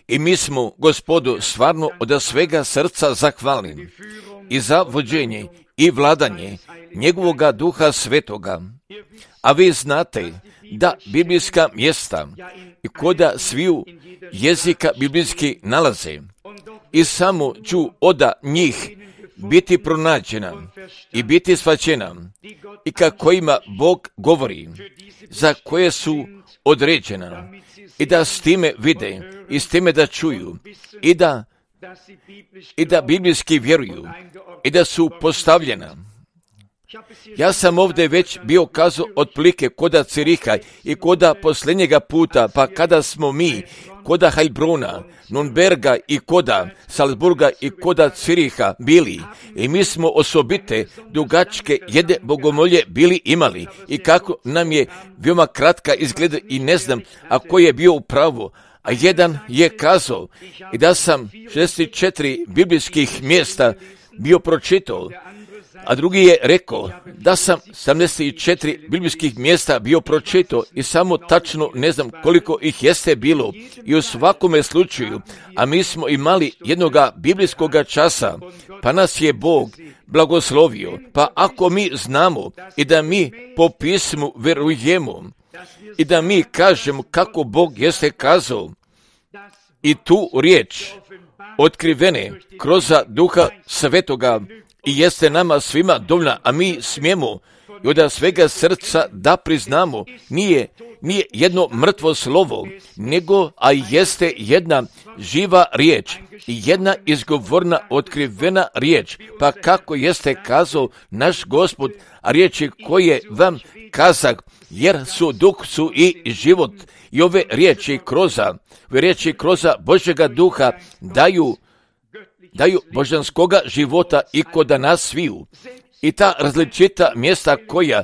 I mi smo Gospodu stvarno od svega srca zahvalni i za vođenje i vladanje njegovoga Duha Svetoga. A vi znate da biblijska mjesta i koda sviju jezika biblijski nalaze i samo ću od njih biti pronađena i biti shvaćena i kako ima Bog govori, za koje su određena i da s time vide i s time da čuju i da biblijski vjeruju i da su postavljena. Ja sam ovdje već bio kazao otprilike koda Ciriha i koda posljednjega puta, pa kada smo mi koda Heilbrona, Nürnberga i koda Salzburga i koda Ciriha bili i mi smo osobite dugačke jedne bogomolje bili imali i kako nam je veoma kratka izgleda i ne znam a ko je bio u pravu. A jedan je kazao i da sam 64 biblijskih mjesta bio pročitao, a drugi je rekao da sam 74 biblijskih mjesta bio pročitao i samo tačno ne znam koliko ih jeste bilo i u svakome slučaju, a mi smo imali jednoga biblijskoga časa, pa nas je Bog blagoslovio, pa ako mi znamo i da mi po pismu verujemo i da mi kažemo kako Bog jeste kazao i tu riječ otkrivene kroz Duha Svetoga i jeste nama svima dovoljna, a mi smijemo i od svega srca da priznamo, nije jedno mrtvo slovo, nego, a jeste jedna živa riječ, jedna izgovorna, otkrivena riječ, pa kako jeste kazao naš Gospod, a riječi koje vam kazak, jer su duh su i život, i ove riječi kroza Božjega duha daju božanskoga života i kod nas sviju. I ta različita mjesta koja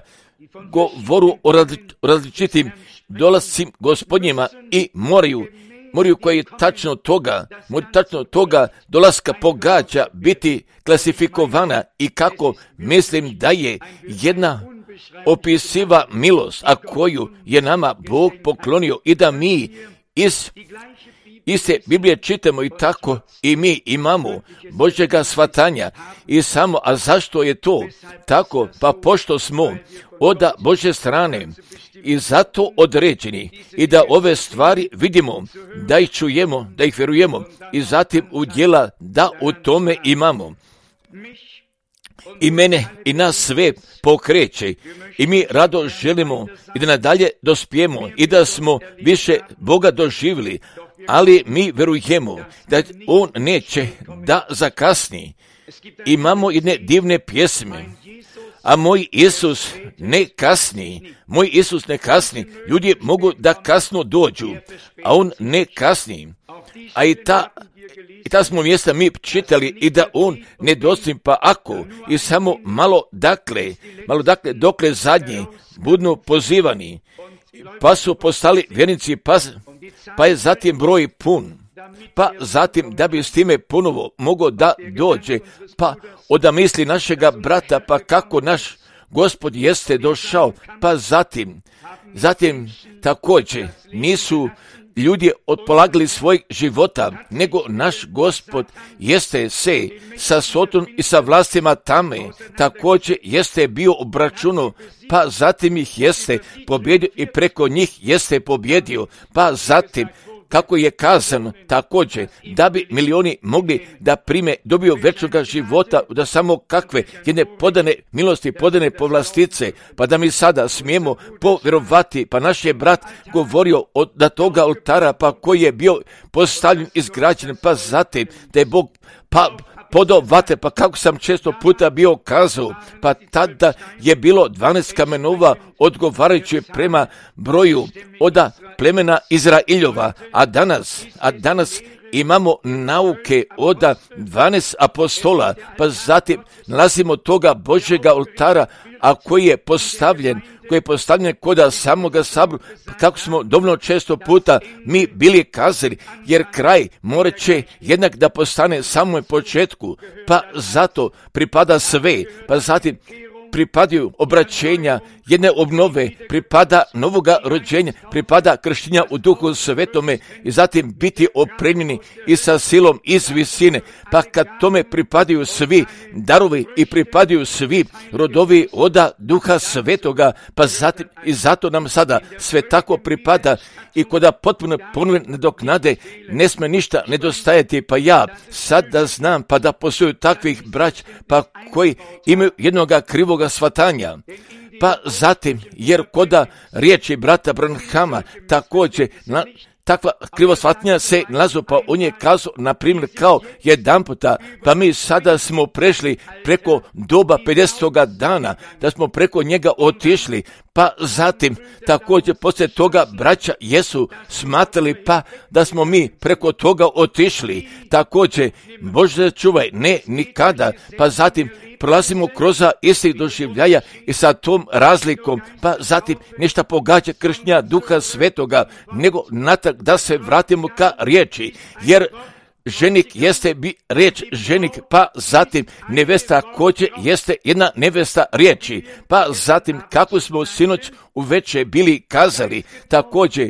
govoru o različitim dolascim gospodnjima i moraju koji tačno toga dolaska pogađa biti klasifikovana i kako mislim da je jedna opisiva milost, a koju je nama Bog poklonio i da mi iz iste Biblije čitamo i tako i mi imamo Božjega shvatanja i samo, a zašto je to tako? Pa pošto smo od Božje strane i zato određeni i da ove stvari vidimo, da ih čujemo, da ih vjerujemo i zatim u djela da u tome imamo. I mene i nas sve pokreće i mi rado želimo i da nadalje dospijemo i da smo više Boga doživjeli, ali mi verujemo da On neće da zakasni. Imamo jedne divne pjesme, a moj Isus ne kasni, ljudi mogu da kasno dođu, a On ne kasni, a i ta smo mjesta mi čitali i da On ne dosti, pa ako i samo malo dakle dokle zadnji budnu pozivani, pa su postali vjernici, pa je zatim broj pun, pa zatim da bi s time ponovo mogao da dođe, pa od misli našega brata, pa kako naš Gospod jeste došao, pa zatim također nisu ljudi otpolagali svojeg života, nego naš Gospod jeste se sa Sotom i sa vlastima tame, također jeste bio obračunao, pa zatim ih jeste pobjedio i preko njih jeste pobjedio, pa zatim kako je kazano također da bi milioni mogli da prime, dobiju večnoga života, da samo kakve jedne podane milosti, podane povlastice, pa da mi sada smijemo povjerovati, pa naš je brat govorio da toga oltara, pa koji je bio postavljen, izgrađen, pa zatim da je Bog podao vate, pa kako sam često puta bio kazao, pa tada je bilo 12 kamenova odgovarajući prema broju od plemena Izraeljova, a danas imamo nauke od 12 apostola, pa zatim nalazimo toga Božjega oltara, a koji je postavljen kod samoga sabora, kako smo dovoljno često puta mi bili kazali, jer kraj morat će jednak da postane samom početku, pa zato pripada sve, pa zatim pripadaju obraćenja, jedne obnove, pripada novoga rođenja, pripada krštenja u Duhu Svetome i zatim biti opremljeni i sa silom iz visine. Pa kad tome pripadaju svi darovi i pripadaju svi rodovi oda Duha Svetoga, pa zatim i zato nam sada sve tako pripada i koda potpuno ponovne nadoknade ne sme ništa nedostajati. Pa ja sad da znam pa da postoju takvih brać pa koji imaju jednoga krivoga shvatanja. Pa zatim, jer koda riječi brata Branhama također takva krivosvatnja se nalazu, pa on je kazao, na primjer, kao jedan puta, pa mi sada smo prešli preko doba 50. dana, da smo preko njega otišli, pa zatim također poslije toga braća jesu smatrali pa da smo mi preko toga otišli, također Bože čuvaj, ne nikada, pa zatim prolazimo kroz istih doživljaja i sa tom razlikom, pa zatim nešto pogađa krštenja Duha Svetoga, nego natrag da se vratimo ka riječi, jer ženik jeste riječ ženik, pa zatim nevesta kođe jeste jedna nevesta riječi, pa zatim kako smo sinoć uveče bili kazali, također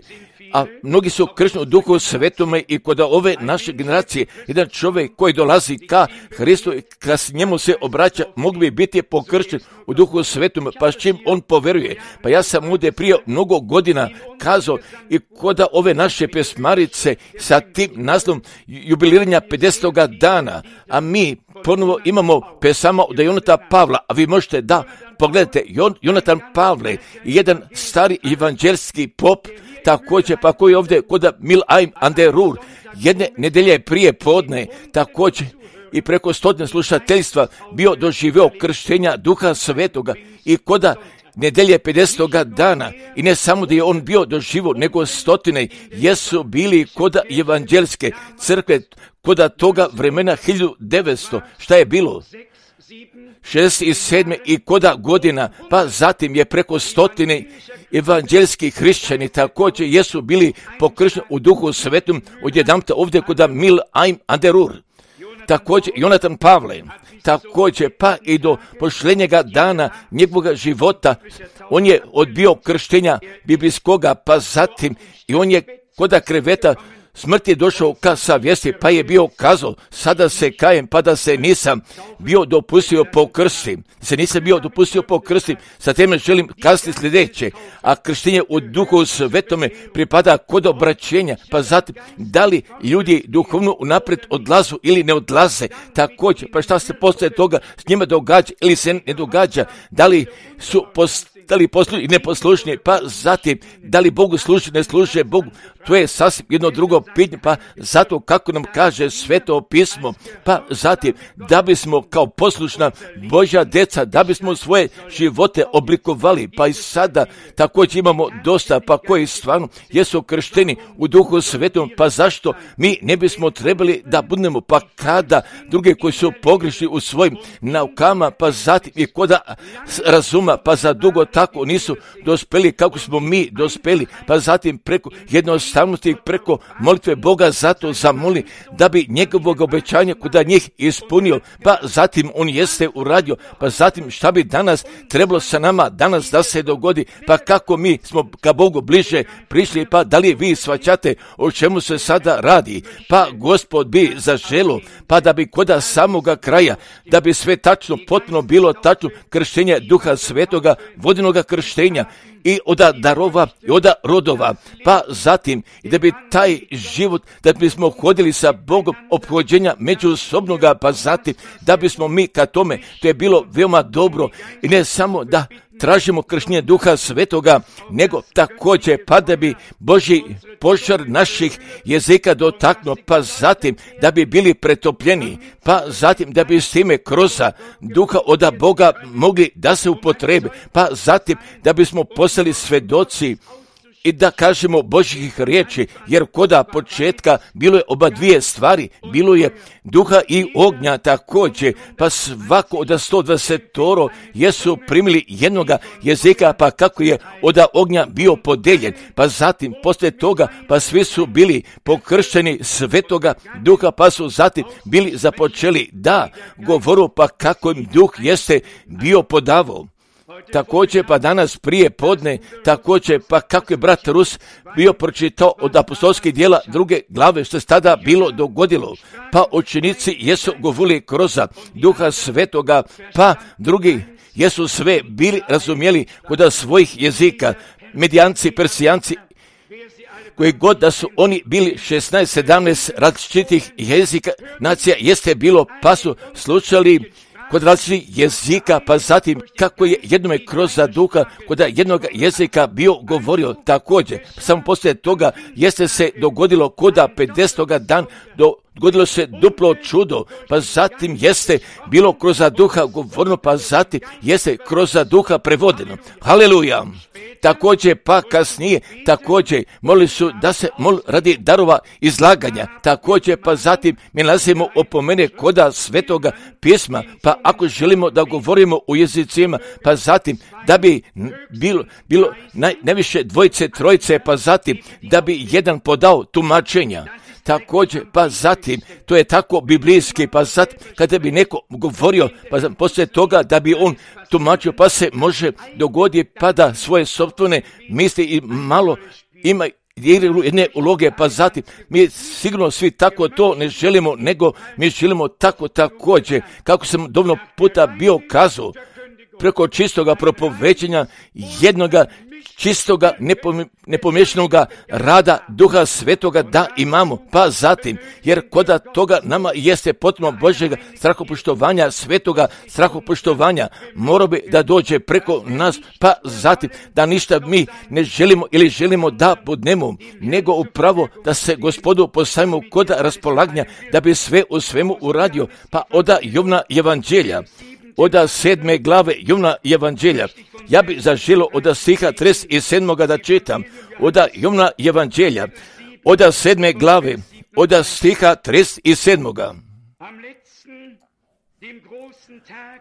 a mnogi su kršteni u Duhu Svetome i kod ove naše generacije, jedan čovjek koji dolazi ka Hristu i kad njemu se obraća, mogu bi biti pokršten u Duhu Svetome, pa s čim on poveruje. Pa ja sam ovdje prije mnogo godina kazao i kod ove naše pesmarice sa tim naslovom jubiliranja 50. dana, a mi ponovo imamo pesama od Jonata Pavla, a vi možete da pogledajte, Jonatan Pavle, jedan stari evanđelski pop, također pa koji ovdje kod Milheim an der Ruhr, jedne nedelje prije podne, također i preko 100 slušateljstva bio doživio krštenja Duha Svetoga i koda nedelje 50. dana i ne samo da je on bio doživio, nego 100 jesu bili koda evanđelske crkve, koda toga vremena 1900, šta je bilo? 67. i koda godina, pa zatim je preko 100 evanđelski hrišćani također jesu bili pokršteni u Duhu Svetom odjedanputa ovdje kod Milheim an der Ruhr. Također Jonatan Pavle, također pa i do posljednjega dana njegovog života on je odbio krštenja biblijskoga, pa zatim i on je koda kreveta smrt je došao ka savjesti, pa je bio kazao, sada se kajem, pa da se nisam bio dopustio po krsti, sa teme želim kazati sljedeće, a krštenje u Duhu Svetome pripada kod obraćenja, pa zatim, da li ljudi duhovno unaprijed odlazu ili ne odlaze, također, pa šta se poslije toga s njima događa ili se ne događa, da li su poslušni i neposlušni, pa zatim, da li Bogu služi, ne služe Bogu, to je sasvim jedno drugo pitanje, pa zato kako nam kaže Sveto pismo, pa zatim, da bismo kao poslušna Božja djeca, da bismo svoje živote oblikovali, pa i sada također imamo dosta, pa koji stvarno jesu kršteni u Duhu Svetom, pa zašto mi ne bismo trebali da budemo, pa kada druge koji su pogrešni u svojim naukama, pa zatim i koda razuma, pa za dugo tako nisu dospeli kako smo mi dospeli, pa zatim preko jednostavnosti, preko molitve Boga zato zamoli da bi njegovog obećanja kod njih ispunio, pa zatim on jeste uradio, pa zatim šta bi danas trebalo sa nama danas da se dogodi, pa kako mi smo ka Bogu bliže prišli, pa da li vi shvaćate o čemu se sada radi, pa Gospod bi zaželio, pa da bi koda samoga kraja, da bi sve tačno, potpuno bilo tačno krštenje Duha Svetoga, vodenoga krštenja i od darova i od rodova, pa zatim i da bi taj život, da bismo hodili sa Bogom ophođenja međusobnoga, pa zatim da bismo mi ka tome, to je bilo veoma dobro i ne samo da tražimo krštenje Duha Svetoga, nego također pa da bi Božji požar naših jezika dotaknuo, pa zatim da bi bili pretopljeni, pa zatim da bi s time kroz Duha od Boga mogli da se upotrebe, pa zatim da bismo postali svedoci i da kažemo Božjih riječi, jer koda početka bilo je oba dvije stvari, bilo je duha i ognja također, pa svako od 120 jesu primili jednoga jezika, pa kako je od ognja bio podeljen, pa zatim poslije toga, pa svi su bili pokršteni svetoga duha, pa su zatim bili započeli da govoru, pa kako im duh jeste bio podavao. Također pa danas prije podne, također pa kako je brat Rus bio pročitao od apostolskih djela 2. glave što se tada bilo dogodilo, pa učenici jesu govorili kroz duha svetoga, pa drugi jesu sve bili razumjeli kod svojih jezika, Medijanci, Persijanci, koji god da su oni bili 16-17 različitih jezika nacija jeste bilo, pa su slušali kod različitih jezika, pa zatim kako je jednome kroz duha kod jednog jezika bio govorio također. Samo poslije toga jeste se dogodilo kod 50. dan, dogodilo se duplo čudo, pa zatim jeste bilo kroz duha govoreno, pa zatim jeste kroz duha prevodeno. Haleluja! Također pa kasnije, također molili su da se radi darova izlaganja, također pa zatim mi nalazimo opomene koda svetoga pisma, pa ako želimo da govorimo u jezicima, pa zatim da bi bilo najviše dvojice, trojice, pa zatim da bi jedan podao tumačenja. Također, pa zatim, to je tako biblijski, pa zatim, kada bi neko govorio, pa zatim, poslije toga da bi on tumačio, pa se može dogoditi, pa da svoje sopstvene misli i malo ima jedne uloge, pa zatim, mi sigurno svi tako to ne želimo, nego mi želimo tako također, kako sam dovoljno puta bio kazao, preko čistoga propovećenja jednoga čistoga, nepomiješanoga rada Duha Svetoga da imamo, pa zatim, jer kod toga nama jeste potpuno Božjega strahopoštovanja, svetoga strahopoštovanja, mora bi da dođe preko nas, pa zatim, da ništa mi ne želimo ili želimo da budemo, nego upravo da se Gospodu postavimo kod raspolaganja, da bi sve u svemu uradio, pa od Jovna evanđelja, od 7. glave Jovna evanđelja. Ja bi zaželio od stiha 37. da čitam, od Jovna evanđelja, od 7. glave, od stiha 37.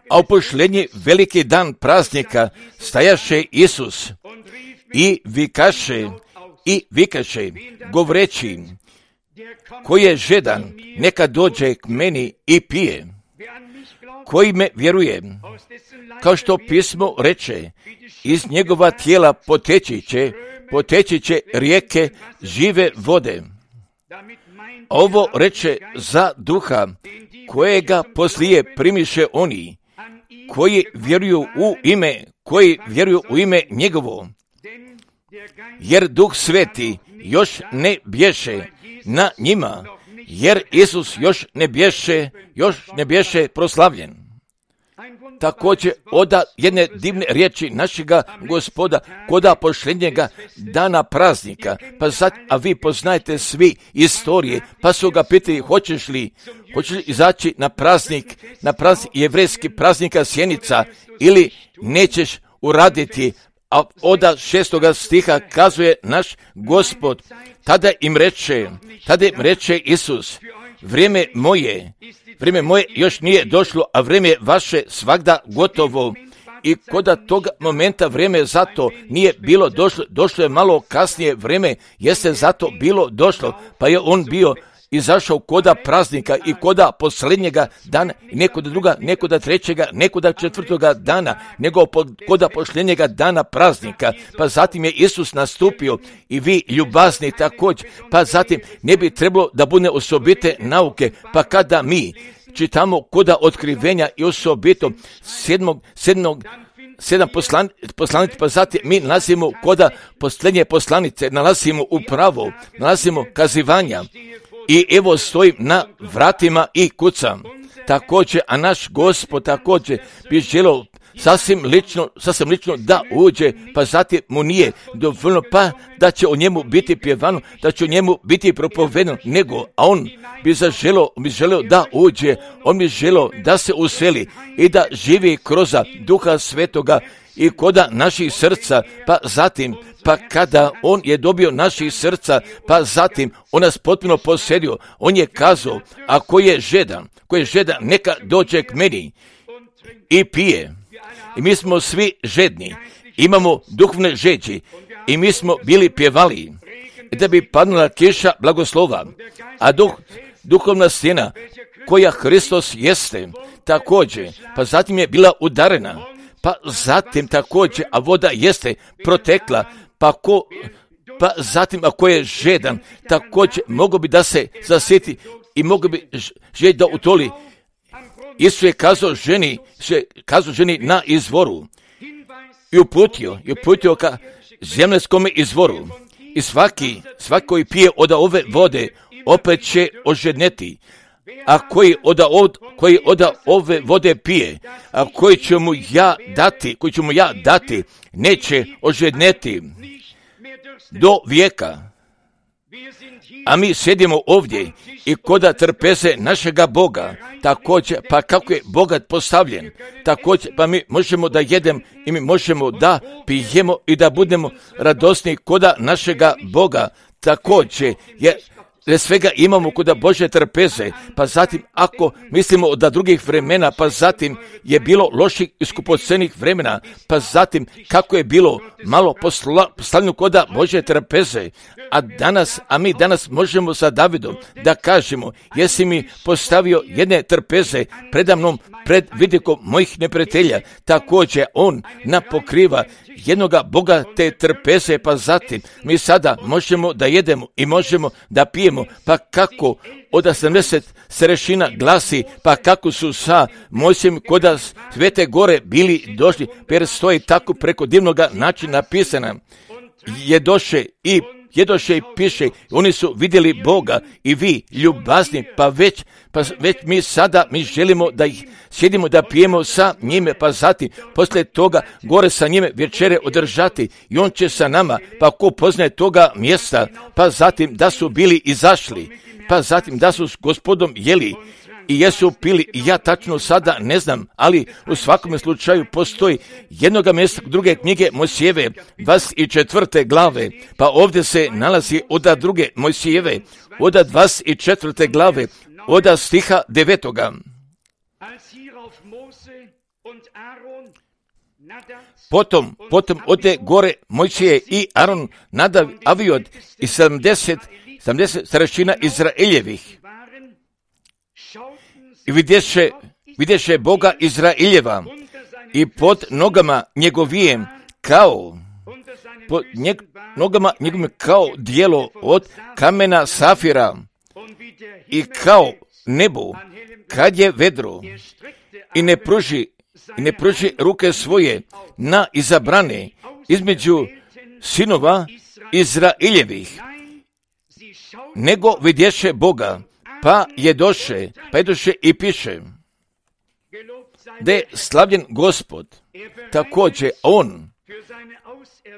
A u pošlednji veliki dan praznika stajaše Isus i vikaše, govoreći, koji je žedan, neka dođe k meni i pije. Koji me vjeruje, kao što pismo reče, iz njegova tijela poteći će rijeke žive vode. Ovo reče za duha, kojega poslije primiše oni, koji vjeruju u ime njegovo. Jer Duh Sveti još ne bješe na njima, jer Isus još ne bješe proslavljen. Također od jedne divne riječi našega Gospoda koda posljednjega dana praznika, pa sad, a vi poznajete svi istorije, pa su ga pitali hoćeš li izaći na praznik jevrejski praznika Sjenica ili nećeš uraditi, a od 6. stiha kazuje naš Gospod, tada im reče Isus, vrijeme moje još nije došlo, a vrijeme vaše svagda gotovo. I kod toga momenta vrijeme zato nije bilo došlo je malo kasnije, vrijeme jeste zato bilo došlo, pa je on bio izašao koda praznika i koda posljednjega dana, nekoda druga, nekoda trećega, nekoda četvrtoga dana, nego koda posljednjega dana praznika. Pa zatim je Isus nastupio i vi ljubazni također, pa zatim ne bi trebalo da bude osobite nauke, pa kada mi čitamo koda otkrivenja i osobito 7 poslanice, pa zatim mi nalazimo koda posljednje poslanice, nalazimo kazivanja. I evo stojim na vratima i kucam. Također, a naš Gospod također bi želio sasvim lično da uđe, pa zatim mu nije dovoljno, pa da će o njemu biti pjevano, da će o njemu biti propovedano, nego, a on bi želio da uđe, on bi želio da se useli i da živi kroz Duha Svetoga i koda naših srca, pa zatim, pa kada on je dobio naših srca, pa zatim on nas potpuno posjedio, on je kazao, a ko je žedan, neka dođe k meni i pije. I mi smo svi žedni, imamo duhovne žeđi i mi smo bili pjevali da bi padnula kiša blagoslova, a duhovna stena koja Hristos jeste također, pa zatim je bila udarena, pa zatim također, a voda jeste protekla, pa zatim ako je žedan, također mogo bi da se zasjeti i mogo bi žeć da utoli. Isus je kazao ženi na izvoru i uputio ka zemljskome izvoru. I svaki koji pije od ove vode opet će ožedneti, a koji od ove vode pije, a koji ću mu ja dati, neće ožedneti do vijeka. A mi sjedimo ovdje i koda trpeze našega Boga, također, pa kako je bogat postavljen, također, pa mi možemo da jedem i mi možemo da pijemo i da budemo radosni koda našega Boga, također, jer svega imamo koda Božje trpeze, pa zatim ako mislimo da drugih vremena, pa zatim je bilo loših i skupocenih vremena, pa zatim kako je bilo malo poslanju koda Božje trpeze, a mi danas možemo sa Davidom da kažemo, jesi mi postavio jedne trpeze predamnom pred vidikom mojih neprijatelja, također on napokriva jednoga Boga te trpeze, pa zatim mi sada možemo da jedemo i možemo da pijemo, pa kako od 70 starešina glasi, pa kako su sa Mojsijem koda Svete gore bili došli, jer stoji tako preko divnoga načina napisana, jedoše i piše, oni su vidjeli Boga i vi ljubazni, pa već mi sada želimo da ih sjedimo da pijemo sa njime, pa zatim poslije toga gore sa njime večere održati i on će sa nama, pa ko poznaje toga mjesta, pa zatim da su bili izašli, pa zatim da su s Gospodom jeli i jesu pili, i ja tačno sada ne znam, ali u svakom slučaju postoji jednoga mjesta druge knjige Mojsijeve, 24. glave, pa ovdje se nalazi od druge Mojsijeve, od 24. glave, od stiha 9. Potom ode gore Mojsije i Aron, Nadav, Aviod i 70 starešina Izraeljevih. I vidješe Boga Izraeljeva i pod nogama njegovijem nogama njegovim kao dijelo od kamena safira i kao nebo kad je vedro i ne pruži ruke svoje na izabrane između sinova Izraeljevih, nego vidješe Boga, pa je doše i piše da je slavljen Gospod, također on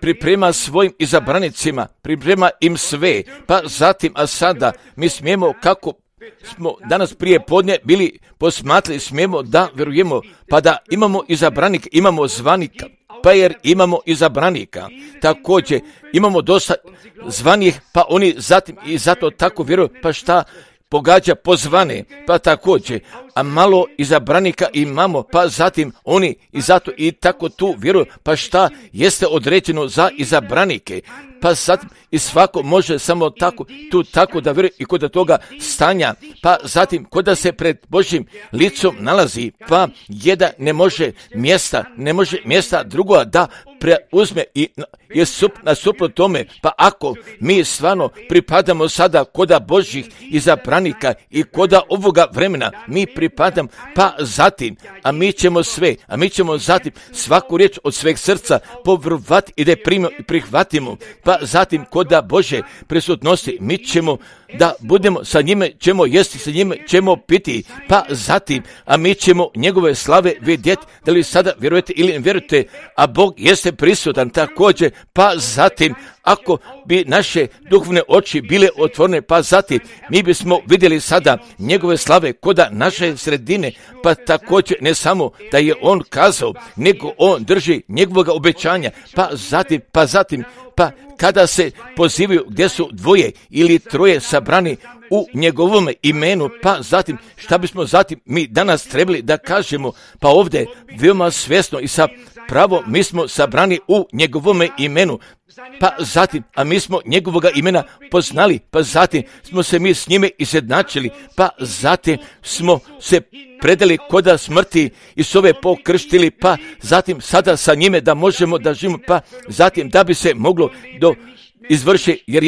priprema svojim izabranicima, priprema im sve, pa zatim, a sada mi smijemo, kako smo danas prije podne bili posmatrali, smijemo da vjerujemo, pa da imamo izabranika, imamo zvanika, pa jer imamo izabranika, također imamo dosta zvanih, pa oni zatim i zato tako vjeruju, pa šta pogađa pozvane, pa također, a malo izabranika imamo, pa zatim oni i zato i tako tu vjeruju, pa šta jeste određeno za izabranike, pa zatim i svako može samo tako da vjeruje i kod toga stanja, pa zatim kod se pred Božjim licom nalazi, pa jedan ne može mjesta drugoga da preuzme i je nasuprot tome, pa ako mi stvarno pripadamo sada koda Božjih izabranika i koda ovoga vremena, mi pripadam, pa zatim, a mi ćemo zatim svaku riječ od sveg srca povjerovati i da je prihvatimo, pa zatim koda Bože prisutnosti, mi ćemo da budemo sa njime, ćemo jesti, sa njime ćemo piti, pa zatim, a mi ćemo njegove slave vidjeti, da li sada vjerujete ili ne vjerujete, a Bog jeste prisutan također, pa zatim, ako bi naše duhovne oči bile otvorene, pa zatim mi bismo vidjeli sada njegove slave koda naše sredine, pa također ne samo da je on kazao, nego on drži njegovog obećanja, pa zatim, kada se pozivaju gdje su dvoje ili troje sabrani u njegovom imenu, pa zatim šta bismo zatim mi danas trebali da kažemo, pa ovdje veoma svjesno i sa pravo mi smo sabrani u njegovom imenu, pa zatim, a mi smo njegovoga imena poznali, pa zatim smo se mi s njime izjednačili, pa zatim smo se predali koda smrti i s ove pokrštili, pa zatim sada sa njime da možemo da živimo, pa zatim da bi se moglo izvrši, jer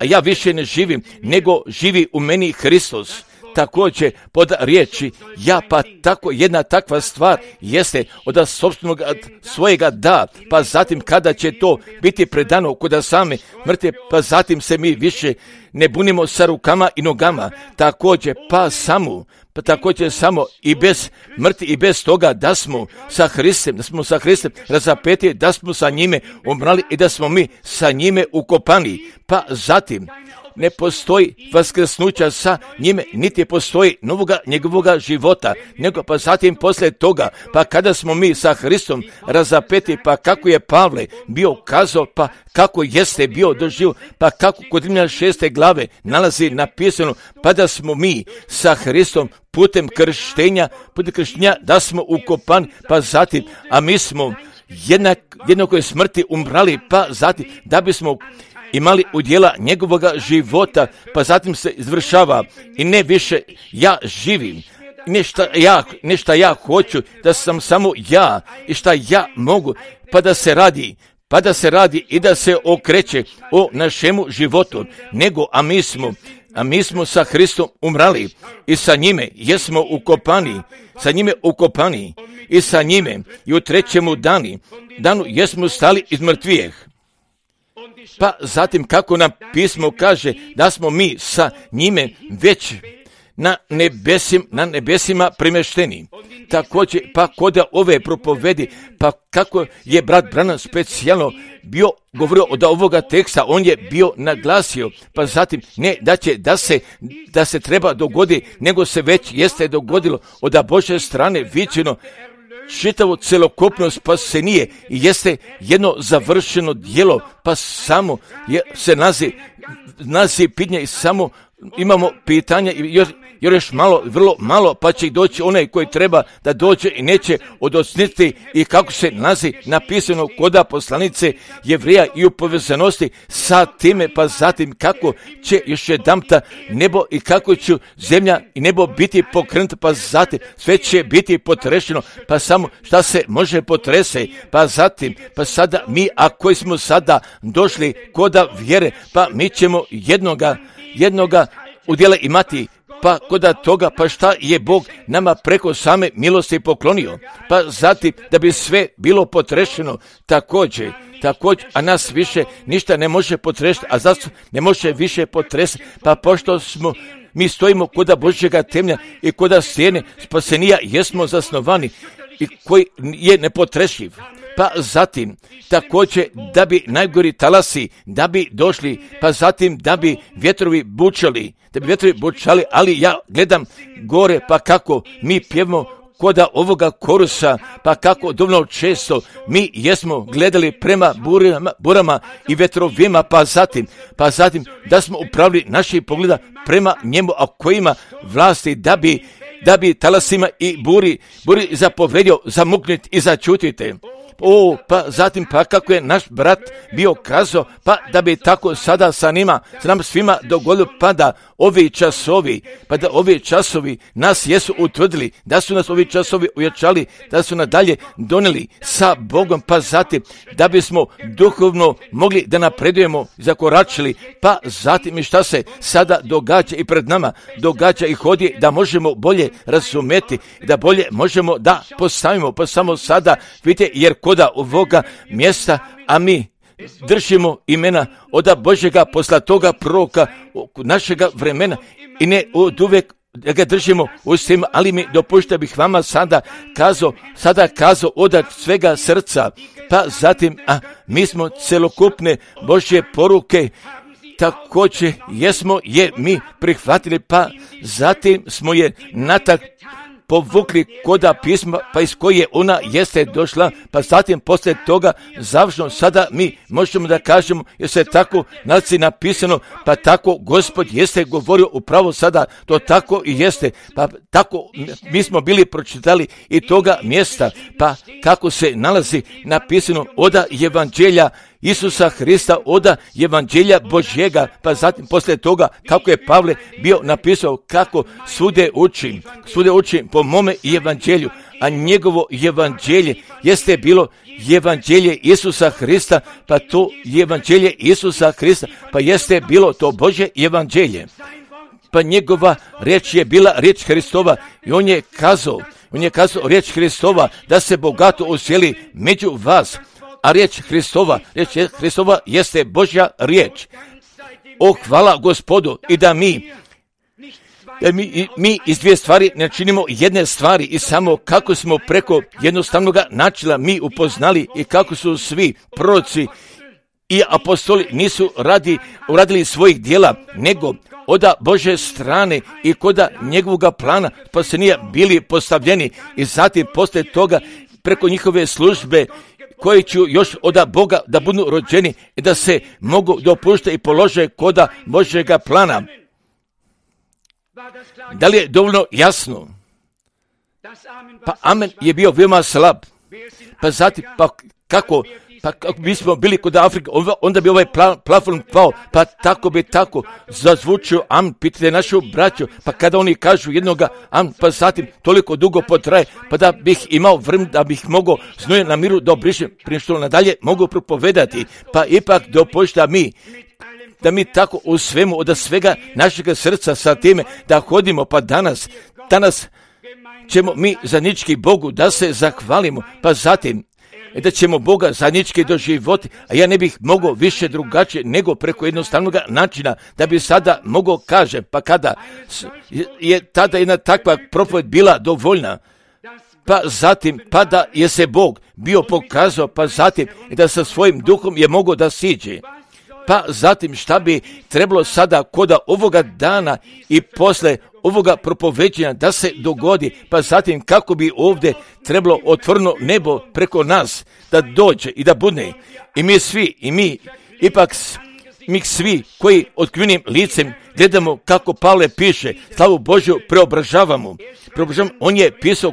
ja više ne živim, nego živi u meni Hristos. Također pod riječi ja, pa tako jedna takva stvar jeste od sopstvenog svojega da, pa zatim kada će to biti predano kod same mrtve, pa zatim se mi više ne bunimo sa rukama i nogama, također samo i bez mrtvi i bez toga da smo sa Hristom razapeti, da smo sa njime umrali i da smo mi sa njime ukopani, pa zatim ne postoji vaskrsnuća sa njime, niti postoji novoga njegovoga života, nego pa zatim poslije toga, pa kada smo mi sa Hristom razapeti, pa kako je Pavle bio kazao, pa kako jeste bio doživio, pa kako kod Rimljana 6. glave nalazi napisano, pa da smo mi sa Hristom putem krštenja da smo ukopani, pa zatim, a mi smo jednakoj smrti umrali, pa zatim da bismo imali udjela njegovoga života, pa zatim se izvršava i ne više ja živim, nešto ja hoću, da sam samo ja i šta ja mogu, pa da se radi i da se okreće o našemu životu, nego a mi smo sa Hristom umrali i sa njime jesmo ukopani i sa njime i u trećemu danu jesmo stali iz mrtvijeh. Pa zatim kako nam pismo kaže da smo mi sa njime već na nebesima premješteni. Također pa kod ove propovedi, pa kako je brat Branham specijalno bio govorio od ovoga teksta, on je bio naglasio, pa zatim ne da se treba dogoditi, nego se već jeste dogodilo od Božje strane viđeno čitavo celokupno spasenije i jeste jedno završeno djelo, pa samo se nazi pitanje i samo imamo pitanja i još malo, vrlo malo, pa će doći onaj koji treba da dođe i neće odosniti i kako se nalazi napisano koda poslanice Jevreja i u povezanosti sa time, pa zatim kako će još jedanputa nebo i kako će zemlja i nebo biti pokrenuto, pa zatim sve će biti potrešeno, pa samo šta se može potrese, pa zatim, pa sada mi, a koji smo sada došli koda vjere, pa mi ćemo jednoga udjela imati, pa koda toga, pa šta je Bog nama preko same milosti poklonio, pa zatim da bi sve bilo potrešeno također, a nas više ništa ne može potrešiti, a zašto ne može više potresiti, pa pošto mi stojimo koda Božjega temelja i koda stijene spasenija jesmo zasnovani i koji je nepotrešiv. Pa zatim također da bi najgori talasi da bi došli, pa zatim da bi vjetrovi bučali, ali ja gledam gore, pa kako mi pjevamo koda ovoga korusa, pa kako dovoljno često mi jesmo gledali prema burama i vetrovima, pa zatim da smo upravili naših pogleda prema njemu, a kojima vlasti da bi talasima i buri zapovedio zamukniti i začutite. Pa zatim pa kako je naš brat bio kazao, pa da bi tako sada sa nam svima dogodilo, pa da ovi časovi nas jesu utvrdili, da su nas ovi časovi ujačali, da su nadalje donijeli sa Bogom, pa zatim da bismo duhovno mogli da napredujemo, zakoračili, pa zatim i šta se sada događa i pred nama, događa i hodi, da možemo bolje razumeti, da bolje možemo da postavimo, pa samo sada vidite, jer koda ovoga mjesta, a mi držimo imena od Božjega poslatoga proroka našega vremena i ne od uvijek ga držimo u svima, ali mi dopušta bih vama sada kazao od svega srca, pa zatim, mi smo celokupne Božje poruke, također jesmo je mi prihvatili, pa zatim smo je natak povukli koda pisma, pa iz koje ona jeste došla, pa zatim poslije toga završno sada mi možemo da kažemo, jer se tako nalazi napisano, pa tako Gospod jeste govorio upravo sada, to tako i jeste, pa tako mi smo bili pročitali i toga mjesta, pa kako se nalazi napisano od evanđelja Isusa Hrista, od evanđelja Božjega, pa zatim poslije toga kako je Pavle bio napisao kako svude učim po mome evanđelju, a njegovo evanđelje jeste bilo evanđelje Isusa Hrista, pa to evanđelje Isusa Hrista, pa jeste bilo to Božje evanđelje. Pa njegova riječ je bila riječ Hristova i on je kazao riječ Hristova da se bogato usjeli među vas, a riječ Hristova jeste Božja riječ. O, hvala Gospodu, i da mi iz dvije stvari ne činimo jedne stvari i samo kako smo preko jednostavnog načina mi upoznali i kako su svi proroci i apostoli nisu uradili svojih dijela, nego od Božje strane i koda njegovog plana spasenja bili postavljeni i zatim poslije toga preko njihove službe koji će još od Boga da budu rođeni i da se mogu dopuštati i polože koda Božjega plana. Da li je dovoljno jasno? Pa amen je bio veoma slab. Pa zatim, kako bismo bili kod Afrike, onda bi ovaj plafon pao, pa tako bi tako zazvučio amen, pitajte našu braću, pa kada oni kažu jednoga amen, pa zatim toliko dugo potraje, pa da bih imao vremena, da bih mogao znuje na miru da obrišem, prije što nadalje mogu propovedati, pa ipak dopušta da mi tako u svemu, od svega našega srca sa time da hodimo, pa danas ćemo mi zajednički Bogu da se zahvalimo, pa zatim da ćemo Boga zajednički doživjeti, a ja ne bih mogao više drugačije nego preko jednostavnog načina da bi sada mogao kažem, pa kada je tada jedna takva propoved bila dovoljna, pa zatim, pa da je se Bog bio pokazao, pa zatim da sa svojim duhom je mogao da siđe. Pa zatim šta bi trebalo sada koda ovoga dana i posle ovoga propoveđenja da se dogodi, pa zatim kako bi ovdje trebalo otvoreno nebo preko nas da dođe i da bude. I mi svi koji otkrivenim licem gledamo kako Pavle piše, slavu Božju preobražavamo. On je pisao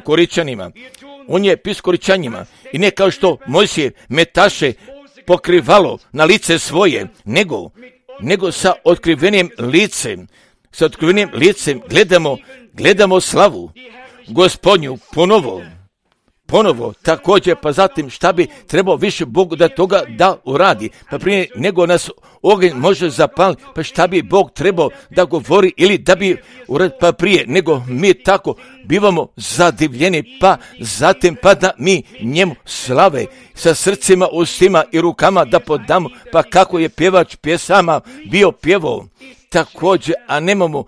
Koričanima i ne kao što Mojsije metaše pokrivalo na lice svoje, nego sa otkrivenim licem gledamo slavu Gospodnju ponovo također, pa zatim šta bi trebao više Bog da toga da uradi, pa prije nego nas ogenj može zapaliti, pa šta bi Bog trebao da govori ili da bi uradi, pa prije nego mi tako bivamo zadivljeni, pa zatim pa da mi njemu slave sa srcima, ustima i rukama da podamo, pa kako je pjevač pjesama bio pjevao. Također, a nemamo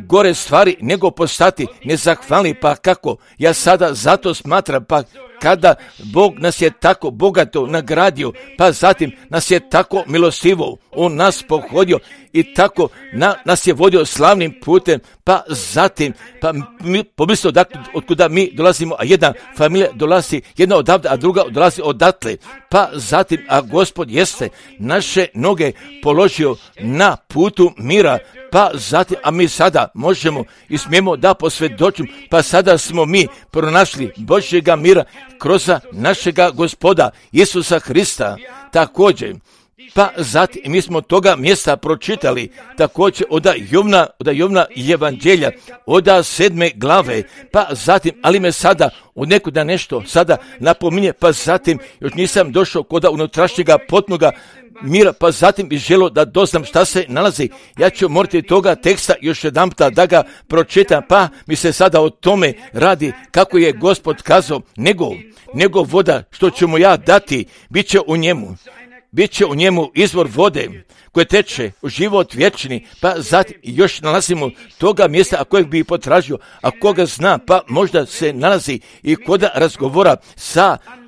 gore stvari nego postati nezahvalni, pa kako ja sada zato smatram, pa kada Bog nas je tako bogato nagradio, pa zatim nas je tako milostivo on nas pohodio i tako nas je vodio slavnim putem, pa zatim, pa mi pomislimo otkuda mi dolazimo, a jedna familija dolazi jedna odavde, a druga dolazi odatle, pa zatim, a Gospod jeste naše noge položio na putu mira, pa zatim, a mi sada možemo i smijemo da posvjedočimo, pa sada smo mi pronašli Božjega mira kroz našega Gospoda Isusa Hrista. Također, pa zatim mi smo toga mjesta pročitali također od Jovna evanđelja, od 7. glave, pa zatim, ali me sada od nekuda nešto sada napominje, pa zatim još nisam došao kod unutrašnjega potnoga mira, pa zatim bi želio da doznam šta se nalazi. Ja ću morati toga teksta još jedanputa da ga pročitam, pa mi se sada o tome radi kako je Gospod kazao, nego voda što ću mu ja dati, bit će bit će u njemu izvor vode koje teče u život vječni, pa zatim još nalazimo toga mjesta, a kojeg bi potražio, a koga zna, pa možda se nalazi i koda razgovora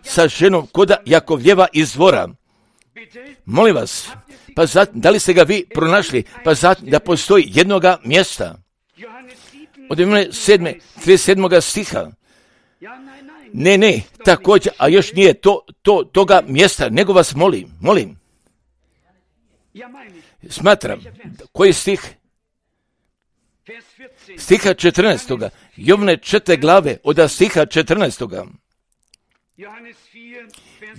sa ženom koda Jakovljeva izvora. Molim vas, pa zatim, da li ste ga vi pronašli, pa zatim da postoji jednoga mjesta. Od 37. stiha. Ne, također, a još nije toga mjesta, nego vas molim. Smatram, koji stih? Stiha 14. Jovne 4. glave od stiha 14.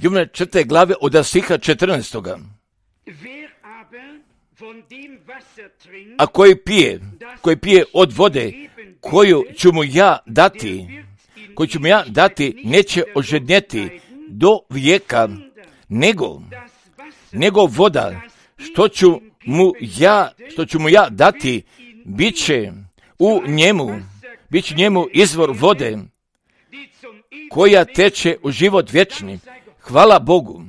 Jovne 4. glave od stiha 14. A koji pije od vode koju ću mu ja dati, neće ožednjeti do vijeka, nego voda, što ću mu ja dati, bit će u njemu izvor vode, koja teče u život vječni. Hvala Bogu.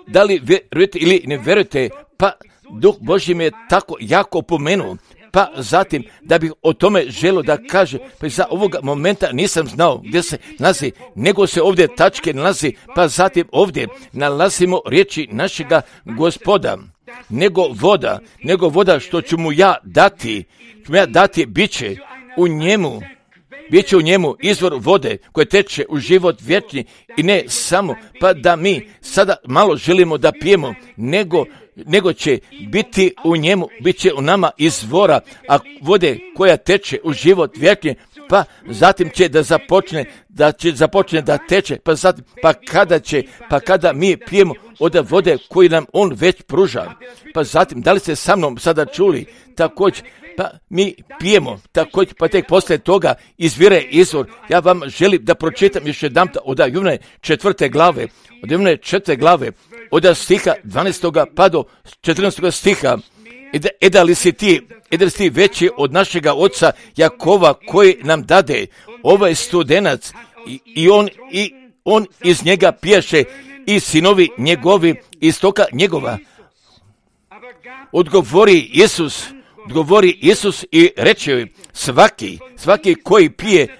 Da li vjerujete ili ne vjerujete, pa Duh Božji me je tako jako opomenuo, pa zatim da bih o tome želio da kaže, pa za ovoga momenta nisam znao gdje se nalazi, nego se ovdje tačke nalazi, pa zatim ovdje nalazimo riječi našega Gospoda, nego voda što ću mu ja dati, bit će u njemu izvor vode koje teče u život vječni, i ne samo pa da mi sada malo želimo da pijemo, nego će biti u njemu, bit će u nama izvora, a vode koja teče u život vječni, pa zatim će započne da teče, pa kada mi pijemo od vode koju nam on već pruža. Pa zatim, da li ste sa mnom sada čuli, također, pa mi pijemo, također, pa tek poslije toga izvire izvor. Ja vam želim da pročitam još jedanput od Jovne 4. glave, od stiha 12. pa do 14. stiha. Da li si ti veći od našega oca Jakova koji nam dade ovaj studenac, i on iz njega pijaše, i sinovi njegovi iz stoka njegova. Odgovori Isus i reče, svaki koji pije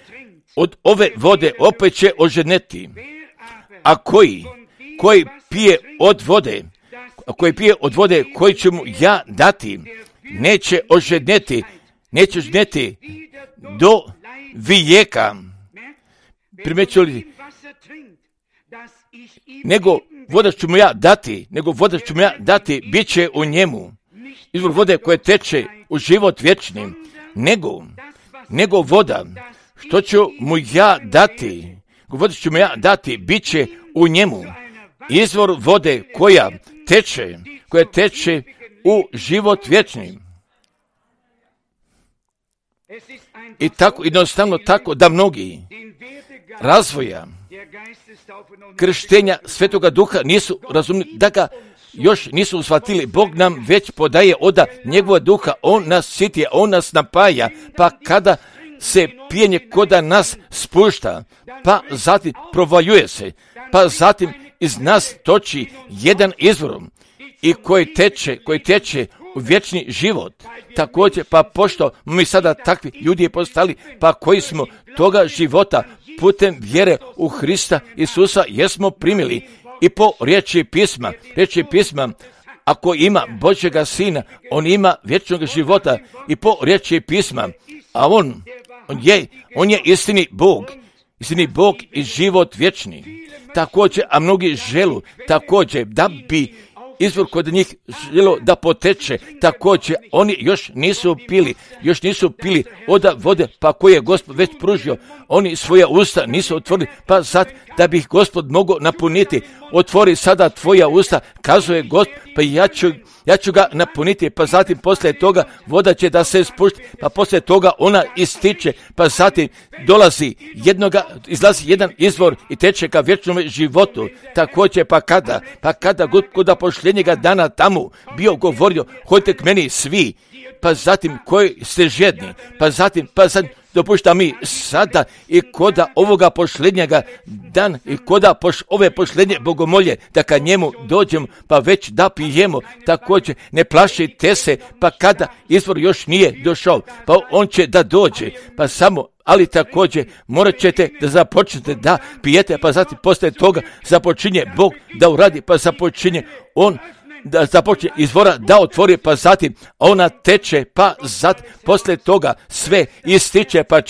od ove vode opet će oženeti, a koji pije od vode koju ću mu ja dati, neće oženeti do vijeka. Primećuli, nego voda ću mu ja dati, bit će u njemu izvor vode koje teče u život vječni, nego voda što ću mu ja dati, bit će u njemu izvor vode koja teče u život vječni. I tako, jednostavno tako da mnogi razvoja krštenja Svetoga Duha nisu razumili, da ga još nisu shvatili. Bog nam već podaje od njegova duha, on nas sitije, on nas napaja, pa kada se pijenje koda nas spušta, pa zatim provaljuje se, pa zatim iz nas toči jedan izvor, i koji teče u vječni život. Također, pa pošto mi sada takvi ljudi postali, pa koji smo toga života putem vjere u Hrista Isusa jesmo primili, i po riječi pisma, ako ima Božjega Sina, on ima vječnog života, i po riječi pisma, a on je istini Bog i život vječni. Također, a mnogi želu također da bi izvor kod njih želo da poteče, također oni još nisu pili od vode, pa koje je Gospod već pružio, oni svoja usta nisu otvorili, pa sad da bi ih Gospod mogao napuniti, otvori sada tvoja usta, kazuje Gospod, pa ja ću ga napuniti, pa zatim poslije toga voda će da se spušti, pa poslije toga ona ističe, pa zatim izlazi jedan izvor i teče ka vječnom životu. Također, pa kada Gospoda pošljenjega dana tamo bio govorio, hodite k meni svi, pa zatim koji ste žedni, pa zatim dopušta mi sada i koda ovoga posljednjega dan i koda ove posljednje bogomolje, da kad njemu dođemo, pa već da pijemo, također ne plašite se, pa kada izvor još nije došao, pa on će da dođe, pa samo, ali također morat ćete da započnete da pijete, pa zatim poslije toga započinje Bog da uradi, pa započinje on da započne izvora da otvori, pa zatim ona teče, pa zatim poslije toga sve ističe, pa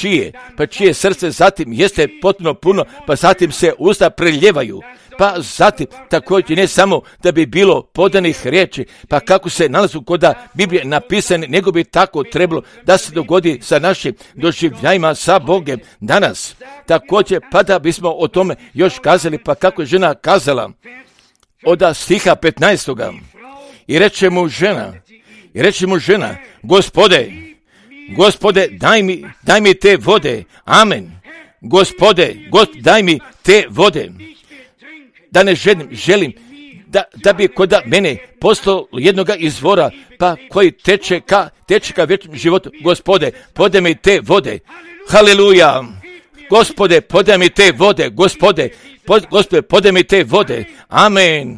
čije srce zatim jeste potpuno puno, pa zatim se usta preljevaju. Pa zatim također ne samo da bi bilo podanih riječi, pa kako se nalazu kod Biblije napisane, nego bi tako trebalo da se dogodi sa našim doživljajima sa Bogem danas. Također pa da bismo o tome još kazali, pa kako je žena kazala od stiha 15. I reče mu žena, Gospode, daj mi te vode, amen. Gospode, daj mi te vode. Da ne želim da bi kod mene postalo jednoga izvora, pa koji teče ka vječnom životu. Gospode, podaj mi te vode. Haleluja. Gospode, podaj mi te vode. Gospode, podaj mi te vode.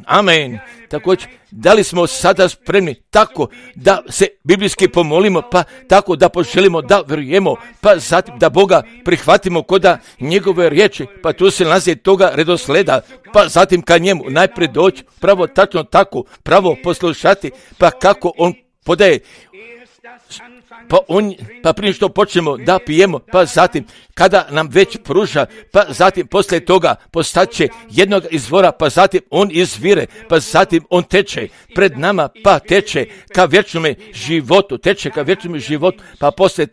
Amen. Također, da li smo sada spremni tako da se biblijski pomolimo, pa tako da poželimo da vjerujemo, pa zatim da Boga prihvatimo koda njegove riječi, pa tu se nalazi toga redosleda, pa zatim ka njemu najprije doći, pravo tačno tako, pravo poslušati, pa kako on podaje, pa prije što počnemo da pijemo, pa zatim kada nam već pruža, pa zatim poslije toga postaće jednog izvora, pa zatim on izvire, pa zatim on teče pred nama, pa teče ka vječnome životu, pa poslije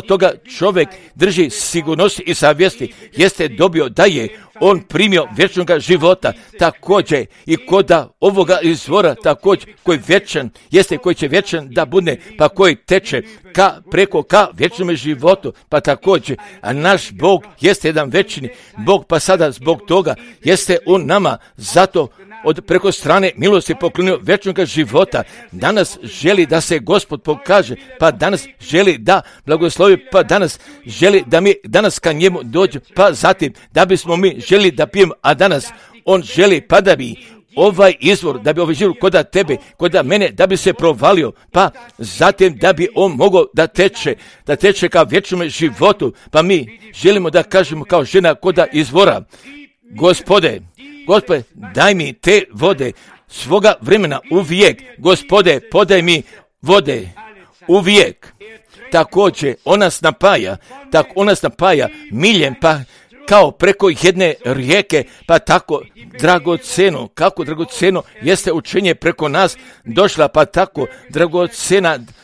toga, čovjek drži sigurnosti i savjesti, jeste dobio da je on primio vječnog života, također i koda ovoga izvora, također koji vječan, jeste koji će vječan da bude, pa koji teče ka vječnom životu, pa također, a naš Bog jeste jedan večni Bog, pa sada zbog toga jeste on nama zato preko strane milosti poklonio vječnog života. Danas želi da se Gospod pokaže, pa danas želi da blagoslovi, pa danas želi da mi danas ka njemu dođe, pa zatim da bismo mi želi da pijemo, a danas on želi pa da bi ovaj izvor, da bi ovaj život koda tebe, koda mene, da bi se provalio, pa zatim da bi on mogao da teče ka vječnom životu, pa mi želimo da kažemo kao žena koda izvora, Gospode, daj mi te vode svoga vremena uvijek, Gospode, podaj mi vode uvijek. Također, ona nas napaja miljem, pa kao preko jedne rijeke, pa tako dragoceno jeste učenje preko nas došla, pa tako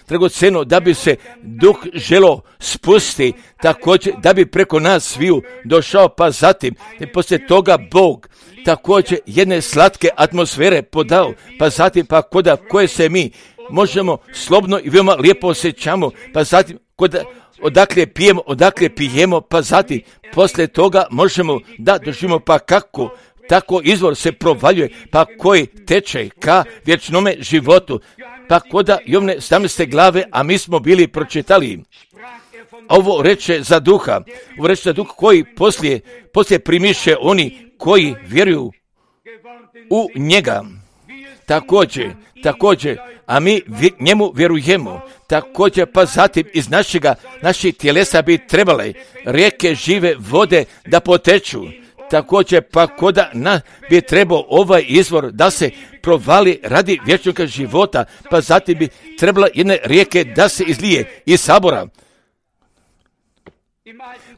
dragoceno da bi se duh želo spusti, također da bi preko nas sviju došao, pa zatim poslije toga Bog također jedne slatke atmosfere podao, pa zatim pa koje se mi možemo slobodno i veoma lijepo osjećamo, pa zatim odakle pijemo, pa zatim poslije toga možemo da doživimo, pa kako tako izvor se provaljuje, pa koji teče ka vječnome životu, pa koda Jovne 17. glave, a mi smo bili pročitali. Ovo reče za duha koji poslije primiše oni koji vjeruju u njega. Također, a mi njemu vjerujemo. Također, pa zatim iz naših tjelesa bi trebale rijeke žive vode da poteču. Također, pa koda bi trebao ovaj izvor da se provali radi vječnog života, pa zatim bi trebala jedne rijeke da se izlije iz sabora.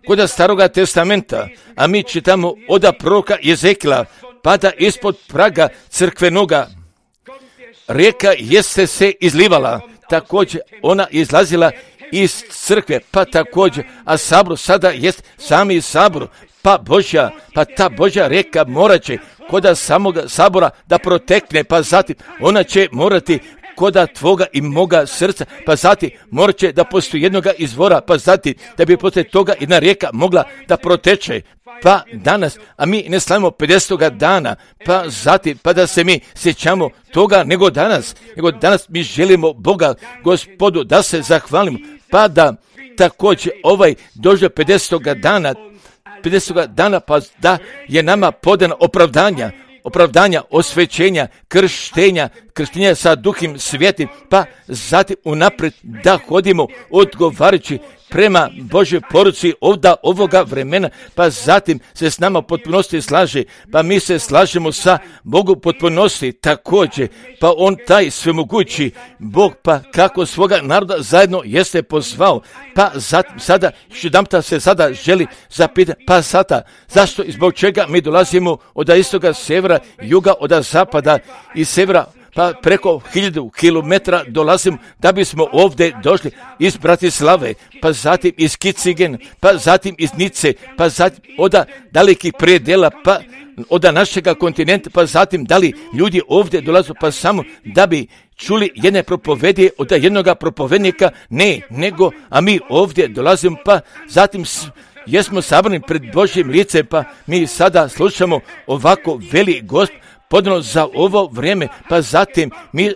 Koda Staroga testamenta, a mi čitamo od proroka Jezekila, pada ispod praga crkvenoga. Rijeka jeste se izlivala, također ona izlazila iz crkve, pa također, a sabor sada jest sami sabor, pa ta Božja rijeka morat će koda samoga sabora da protekne, pa zatim ona će morati koda tvoga i moga srca, pa zatim morat će da postoji jednoga izvora, pa zatim da bi poslije toga jedna rijeka mogla da proteče. Pa danas, a mi ne slavimo 50. dana, pa zatim, pa da se mi sjećamo toga nego danas mi želimo Boga, Gospodu, da se zahvalimo, pa da također dođe 50. dana, pa da je nama podano opravdanja, osvećenja, krštenja sa Duhom Svätim, pa zatim unaprijed da hodimo odgovarajući prema Božoj poruci ovoga vremena, pa zatim se s nama potpunosti slaže, pa mi se slažemo sa Bogu potpunosti također, pa on taj svemogući Bog, pa kako svoga naroda zajedno jeste pozvao, pa zatim sada, jedanputa se sada želi zapitati, pa sada, zašto i zbog čega mi dolazimo od istoga, severa, juga, od zapada i severa, pa preko 1000 kilometara dolazimo da bismo ovdje došli iz Bratislave, pa zatim iz Kicigen, pa zatim iz Nice, pa zatim od dalekih predela, pa od našega kontinenta, pa zatim da li ljudi ovdje dolaze pa samo da bi čuli jedne propovedi od jednoga propovednika, ne, nego, a mi ovdje dolazimo, pa zatim jesmo sabrani pred Božjim licem, pa mi sada slušamo ovako veli Gospod podano za ovo vrijeme, pa zatim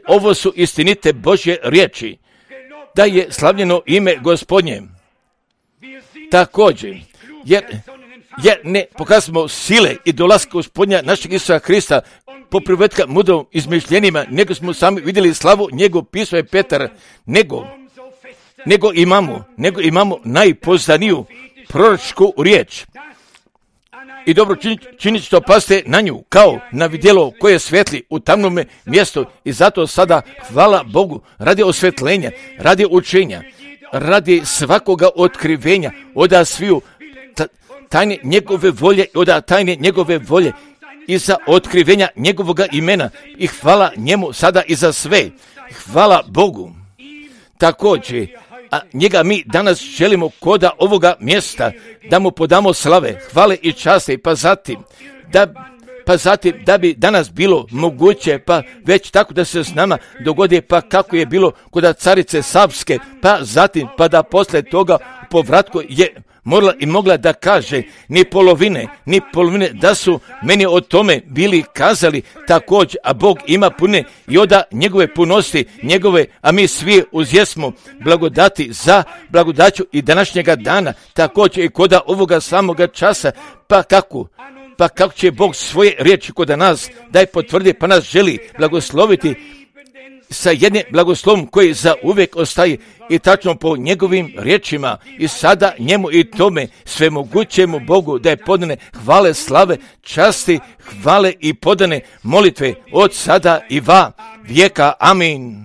ovo su istinite Božje riječi, da je slavljeno ime Gospodnje. Također, jer ne pokazamo sile i dolaska Gospodnja našeg Isusa Hrista po privetka mudrom izmišljenima, nego smo sami vidjeli slavu njegov, pisao je Petar, nego imamo najpoznaniju proročku riječ. I dobro činiti što paste na nju, kao na vidjelo koje svetli u tamnome mjestu, i zato sada hvala Bogu radi osvetljenja, radi učenja, radi svakoga otkrivenja, od sviju tajne njegove volje, od tajne njegove volje i za otkrivenja njegovoga imena, i hvala njemu sada i za sve. Hvala Bogu. Također, a njega mi danas želimo koda ovoga mjesta da mu podamo slave, hvale i časti, pa zatim da bi danas bilo moguće, pa već tako da se s nama dogodi, pa kako je bilo kod carice Savske, pa zatim pa da posle toga povratku je mogla da kaže ni polovine, da su meni o tome bili kazali također, a Bog ima pune i oda njegove punosti, a mi svi uzjesmo blagodati za blagodaću i današnjega dana, također i koda ovoga samoga časa, pa kako će Bog svoje riječi kod nas daj potvrdi, pa nas želi blagosloviti sa jednim blagoslovom koji za uvijek ostaje, i tačno po njegovim riječima, i sada njemu i tome svemogućemu Bogu da je podane hvale, slave, časti, hvale i podane molitve od sada i va vijeka. Amin.